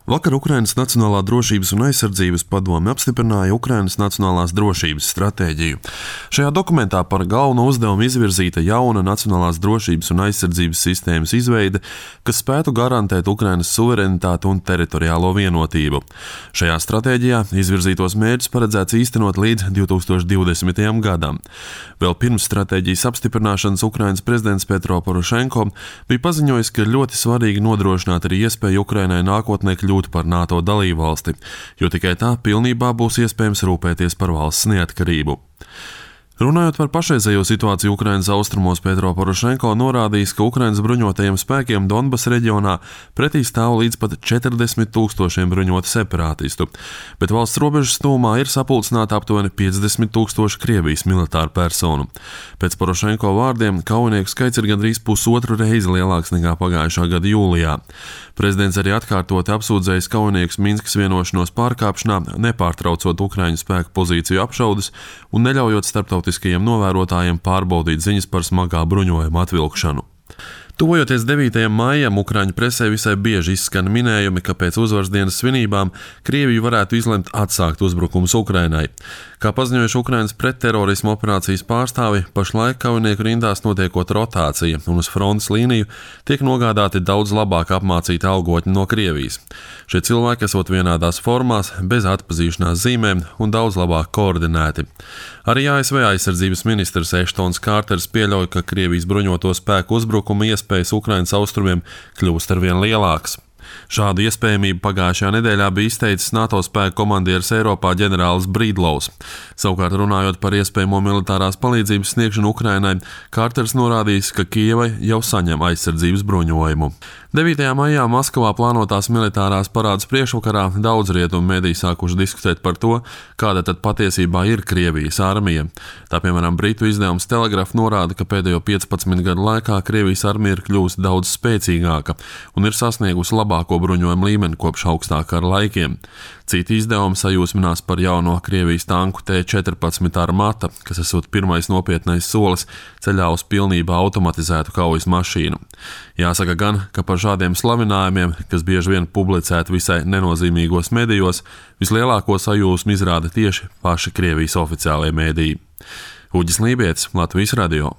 Vakar Ukrainas Nacionālā drošības un aizsardzības padome apstiprināja Ukrainas nacionālās drošības stratēģiju. Šajā dokumentā par galveno uzdevumu izvirzīta jauna nacionālās drošības un aizsardzības sistēmas izveide, kas spētu garantēt Ukrainas suverenitāti un teritoriālo vienotību. Šajā stratēģijā izvirzītos mērķus paredzēts īstenot līdz 2020. gadam. Vēl pirms stratēģijas apstiprināšanas Ukrainas prezidents Petro Porošenko bija paziņojis, ka ļoti svarīgi nodrošināt arī iespēju Ukrainai nākotnē kļūt par NATO dalībvalsti, jo tikai tā pilnībā būs iespējams rūpēties par valsts neatkarību. Runājot par pašreizējo situāciju Ukrainas austrumos, Petro Porošenko norādījis, ka Ukrainas bruņotajiem spēkiem Donbas reģionā pretī stāv līdz pat 40,000 bruņotu separātistu, bet valsts robežas tūmā ir sapulcināti aptuveni 50,000 Krievijas militāru personu. Pēc Porošenko vārdiem kaujinieku skaits ir gandrīz pusotru reizi lielāks nekā pagājušā gada jūlijā. Prezidents arī atkārtoti apsūdzējis kaujiniekus Minskas vienošanos pārkāpšanā, nepārtraucot Ukraiņu spēku pozīciju apšaudes un neļaujot starptautiskajiem novērotājiem pārbaudīt ziņas par smagā bruņojuma atvilkšanu. Tuvojoties 9. maijam, Ukraiņu presē visai bieži izskan minējumi, ka pēc uzvaras dienas svinībām Krievija varētu izlemt atsākt uzbrukumus Ukrainai. Kā paziņojuši Ukrainas pretterorisma operācijas pārstāvi, pašlaik kaujinieku rindās notiekot rotācija un uz frontes līniju tiek nogādāti daudz labāk apmācīti algotņi no Krievijas. Šie cilvēki esot vienādās formās, bez atpazīšanās zīmēm un daudz labāk koordinēti. Arī ASV aizsardzības ministrs Eštons Kārters pieļauj, ka Krievijas bruņoto spēku uzbrukuma iespējas Ukrainas austrumiem kļūst arvien lielākas. Šādu iespējamību pagājušajā nedēļā bija izteicis NATO spēku komandieris Eiropā ģenerālis Brīdlaus. Savukārt runājot par iespējamo militārās palīdzības sniegšanu Ukrainai, Kārters norādījis, ka Kijevai jau saņem aizsardzības bruņojumu. 9. maijā Maskavā plānotās militārās parādes priekšvakarā daudz rietumu mediji sākuši diskutēt par to, kāda tad patiesībā ir Krievijas armija. Tā piemēram Britu izdevums Telegraph norāda, ka pēdējo 15 gadu laikā Krievijas armija ir kļuvusi daudz spēcīgāka un ir sasniegusi labāko bruņojumu līmeni kopš augstākā kara laikiem. Citi izdevumi sajūsminās par jauno Krievijas tanku T-14 Armata, kas esot pirmais nopietnais solis ceļā uz pilnībā automatizētu kaujas mašīnu. Jāsaka gan, ka par šādiem slavinājumiem, kas bieži vien publicēti visai nenozīmīgos medijos, vislielāko sajūsmu izrāda tieši paši Krievijas oficiālie mediji. Uģis Lībietis, Latvijas radio.